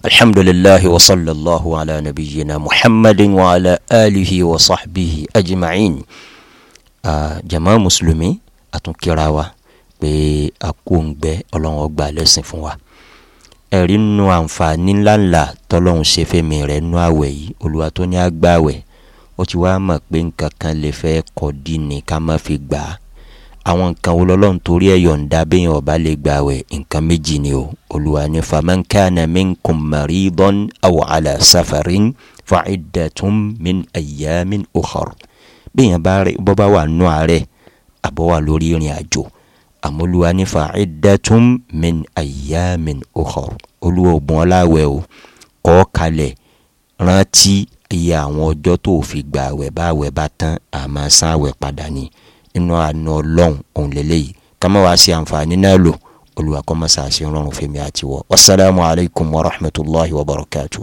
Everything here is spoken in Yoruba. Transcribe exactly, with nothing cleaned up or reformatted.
Alhamdulillahi wa sallallahu ala nabiyyina Muhammadin wa ala alihi wa sahbihi ajma'in. Jama mùsùlùmí, àtúnkìra wa pé a kú òǹgbẹ, Ọlọ́run ó gbà lẹ́sìn fún wa. Ẹ̀rí nínú àǹfààní ńláńlá tọ́lọ́run ṣe fẹ́mi rẹ̀ nínú àwẹ̀ yìí, Olúwa tó ní àgbàwẹ̀, ó ti wá mọ̀ pé nǹkan kan lè fẹ́ kọ́ dí ni ká má fi gbà á. Àwọn nǹkan wo lọ́lọ́run torí ẹ̀ yọ̀ǹda béèyàn ọba lè gbàwẹ̀? Nǹkan méjì ni o. Olúwa ní faman kana minkum maridan aw ala safarin fa'iddatun min ayyamin ukhar. Béèyàn bá rẹ̀ bọ́ bá wà nù àárẹ̀ àbọ̀ wà lórí ìrìn àjò, àmọ́ Olúwa ní fa'iddatun min ayyamin ukhar. Olúwa ò bùn ọ́ láwẹ̀ o, kọ́ kalẹ̀ rántí iye àwọn ọjọ́ tó fi gbàwẹ̀, báwẹ̀ bá tán àmọ́ san àwẹ̀ padà ni. Inú àánú Ọlọ́run òun lélẹ́yìí ká má wá sí àǹfààní náà lò. Olúwa kó má ṣàṣe rọrùn fẹ́mi àti wọ́. Wasalaamu alaykum wa rahmatulahi wa barakatuh.